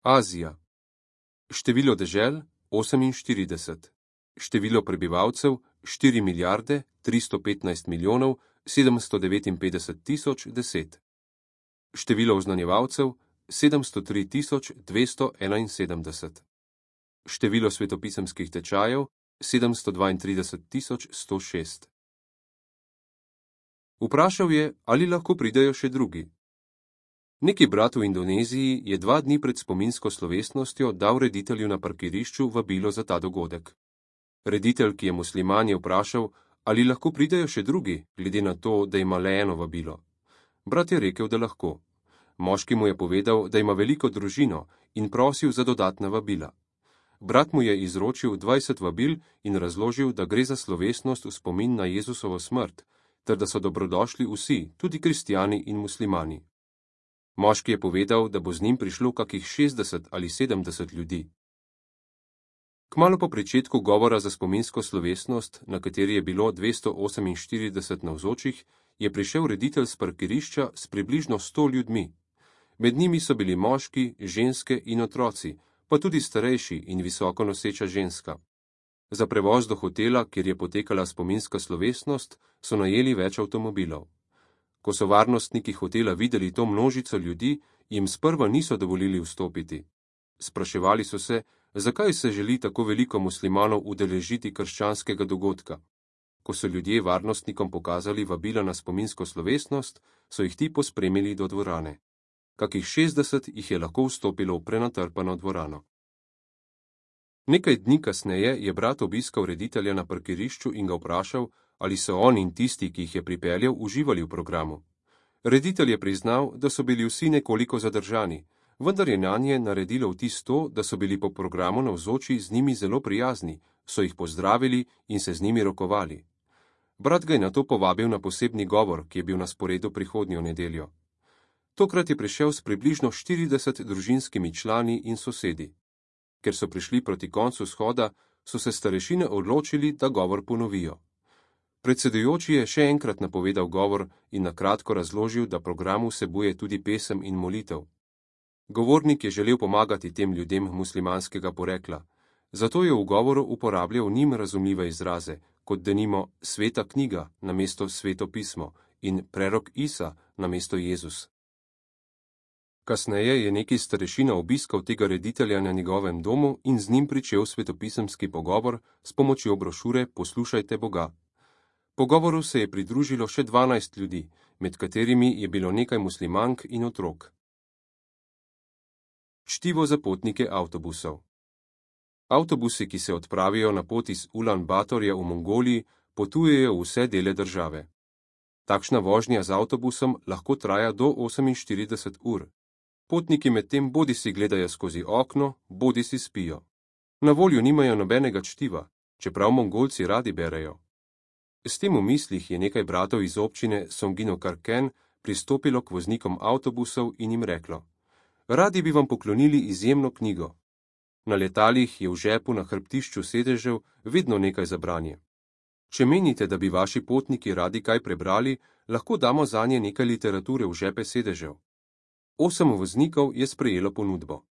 Azija. Število dežel 48. Število prebivalcev 4 milijarde 315 milijonov 759 tisoč 10. Število oznanjevalcev 703 tisoč 271. Število svetopisemskih tečajev 732 tisoč 106. Vprašal je, ali lahko pridejo še drugi. Neki brat v Indoneziji je 2 dni pred spominsko slovesnostjo dal reditelju na parkirišču vabilo za ta dogodek. Reditelj, ki je musliman, je vprašal, ali lahko pridejo še drugi, glede na to, da ima le eno vabilo. Brat je rekel, da lahko. Moški mu je povedal, da ima veliko družino in prosil za dodatna vabila. Brat mu je izročil 20 vabil in razložil, da gre za slovesnost v spomin na Jezusovo smrt, ter da so dobrodošli vsi, tudi kristjani in muslimani. Moški je povedal, da bo z njim prišlo kakih 60 ali 70 ljudi. Kmalu po pričetku govora za spominsko slovesnost, na kateri je bilo 248 navzočih, je prišel reditelj s parkirišča s približno 100 ljudmi. Med njimi so bili moški, ženske in otroci, pa tudi starejši in visoko noseča ženska. Za prevoz do hotela, kjer je potekala spominska slovesnost, so najeli več avtomobilov. Ko so varnostniki hotela videli to množico ljudi, jim sprva niso dovolili vstopiti. Spraševali so se, zakaj se želi tako veliko muslimanov udeležiti krščanskega dogodka. Ko so ljudje varnostnikom pokazali vabila na spominsko slovesnost, so jih ti pospremili do dvorane. Kakih 60 jih je lahko vstopilo v prenatrpano dvorano. Nekaj dni kasneje je brat obiskal reditelja na parkirišču in ga vprašal, ali so on in tisti, ki jih je pripeljal, uživali v programu. Reditelj je priznal, da so bili vsi nekoliko zadržani, vendar je nanje naredilo vtis to, da so bili po programu navzoči z njimi zelo prijazni, so jih pozdravili in se z njimi rokovali. Brat ga je nato povabil na posebni govor, ki je bil na sporedu prihodnjo nedeljo. Tokrat je prišel s približno 40 družinskimi člani in sosedi. Ker so prišli proti koncu shoda, so se starešine odločili, da govor ponovijo. Predsedujoči je še enkrat napovedal govor in na kratko razložil, da program vsebuje tudi pesem in molitev. Govornik je želel pomagati tem ljudem muslimanskega porekla, zato je v govoru uporabljal njim razumljive izraze, kot denimo sveta knjiga namesto sveto pismo in prerok Isa namesto Jezus. Kasneje je neki starešina obiskal tega reditelja na njegovem domu in z njim pričel svetopisemski pogovor s pomočjo brošure Poslušajte Boga. Pogovoru se je pridružilo še 12 ljudi, med katerimi je bilo nekaj muslimank in otrok. Čtivo za potnike avtobusov. Avtobusi, ki se odpravijo na pot iz Ulan Batorja v Mongoliji, potujejo v vse dele države. Takšna vožnja z avtobusom lahko traja do 48 ur. Potniki medtem bodisi gledajo skozi okno, bodisi spijo. Na voljo nimajo nobenega čtiva, čeprav Mongolci radi berejo. S tem v mislih je nekaj bratov iz občine Songino Karken pristopilo k voznikom avtobusov in jim reklo: Radi bi vam poklonili izjemno knjigo. Na letalih je v žepu na hrbtišču sedežev vedno nekaj za branje. Če menite, da bi vaši potniki radi kaj prebrali, lahko damo zanje nekaj literature v žepe sedežev. 8 voznikov je sprejelo ponudbo.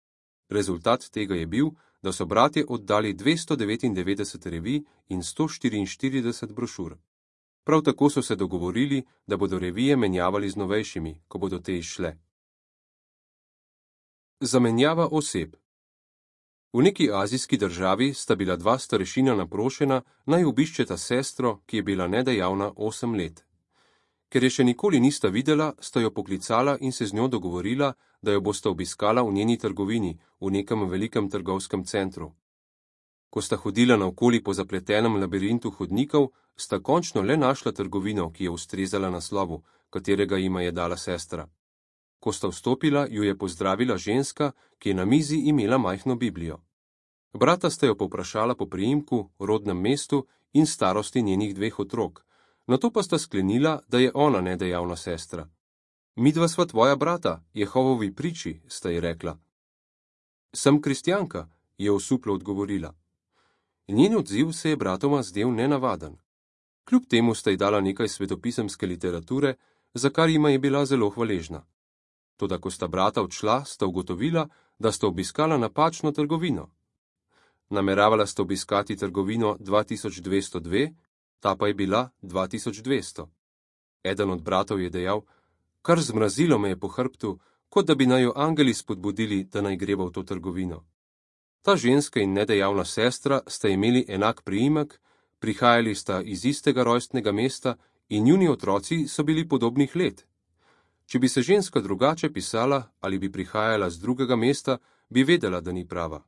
Rezultat tega je bil, da so bratje oddali 299 revij in 144 brošur. Prav tako so se dogovorili, da bodo revije menjavali z novejšimi, ko bodo te izšle. Zamenjava oseb. V neki azijski državi sta bila 2 starešina naprošena, naj obiščeta sestro, ki je bila nedejavna 8 let. Ker je še nikoli nista videla, sta jo poklicala in se z njo dogovorila, da jo bosta obiskala v njeni trgovini, v nekem velikem trgovskem centru. Ko sta hodila naokoli po zapletenem labirintu hodnikov, sta končno le našla trgovino, ki je ustrezala naslovu, katerega jima je dala sestra. Ko sta vstopila, ju je pozdravila ženska, ki je na mizi imela majhno Biblijo. Brata sta jo povprašala po priimku, rodnem mestu in starosti njenih 2 otrok, nato pa sta sklenila, da je ona nedejavna sestra. Midva sva tvoja brata, Jehovovi priči, sta ji rekla. Sem kristjanka, je osuplo odgovorila. Njen odziv se je bratoma zdel nenavaden. Kljub temu sta ji dala nekaj svetopisemske literature, za kar jima je bila zelo hvaležna. Toda ko sta brata odšla, sta ugotovila, da sta obiskala napačno trgovino. Nameravala sta obiskati trgovino 2202, ta pa je bila 2200. Eden od bratov je dejal: kar zmrazilo me je po hrbtu, kot da bi naj jo angeli spodbudili, da naj greva v to trgovino. Ta ženska in nedejavna sestra sta imeli enak priimek, prihajali sta iz istega rojstnega mesta in njuni otroci so bili podobnih let. Če bi se ženska drugače pisala ali bi prihajala z drugega mesta, bi vedela, da ni prava.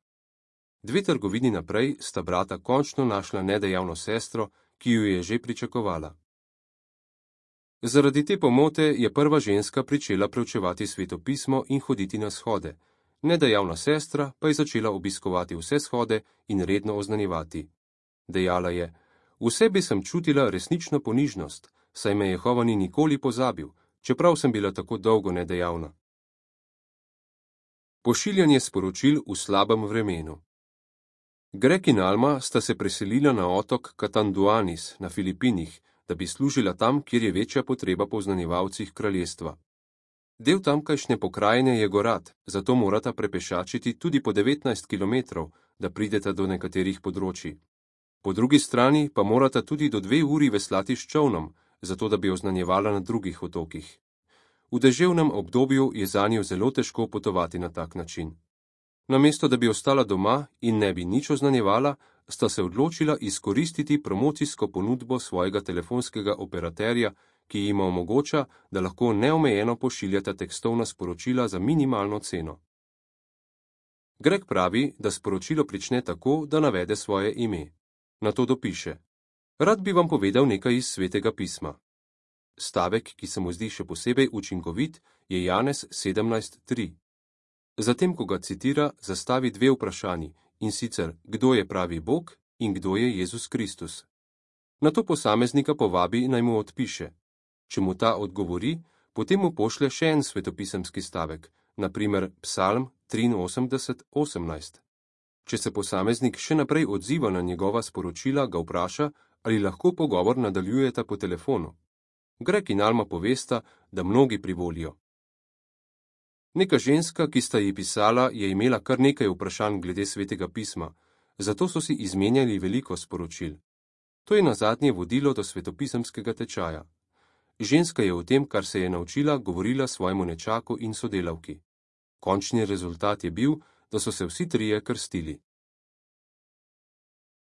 2 trgovini naprej sta brata končno našla nedejavno sestro, ki ju je že pričakovala. Zaradi te pomote je prva ženska pričela preučevati Sveto pismo in hoditi na shode, nedejavna sestra pa je začela obiskovati vse shode in redno oznanjevati. Dejala je: v sebi sem čutila resnično ponižnost, saj me Jehova ni nikoli pozabil, čeprav sem bila tako dolgo nedejavna. Pošiljanje sporočil v slabem vremenu. Greg in Alma sta se preselila na otok Catanduanes na Filipinih, da bi služila tam, kjer je večja potreba po oznanjevalcih kraljestva. Del tamkajšnje pokrajine je gorat, zato morata prepešačiti tudi po 19 kilometrov, da prideta do nekaterih področij. Po drugi strani pa morata tudi do 2 uri veslati s čolnom, zato da bi oznanjevala na drugih otokih. V deževnem obdobju je zanjo zelo težko potovati na tak način. Namesto da bi ostala doma in ne bi nič oznanjevala, sta se odločila izkoristiti promocijsko ponudbo svojega telefonskega operaterja, ki jima omogoča, da lahko neomejeno pošiljata tekstovna sporočila za minimalno ceno. Greg pravi, da sporočilo prične tako, da navede svoje ime. Nato dopiše: rad bi vam povedal nekaj iz Svetega pisma. Stavek, ki se mu zdi še posebej učinkovit, je Janez 17:3. Zatem, ko ga citira, zastavi 2 vprašanji, in sicer, kdo je pravi Bog in kdo je Jezus Kristus. Nato posameznika povabi, naj mu odpiše. Če mu ta odgovori, potem mu pošlje še en svetopisemski stavek, na primer Psalm 83:18. Če se posameznik še naprej odziva na njegova sporočila, ga vpraša, ali lahko pogovor nadaljujeta po telefonu. Greg in Alma povesta, da mnogi privolijo. Neka ženska, ki sta ji pisala, je imela kar nekaj vprašanj glede Svetega pisma, zato so si izmenjali veliko sporočil. To je nazadnje vodilo do svetopisemskega tečaja. Ženska je o tem, kar se je naučila, govorila svojemu nečaku in sodelavki. Končni rezultat je bil, da so se vsi trije krstili.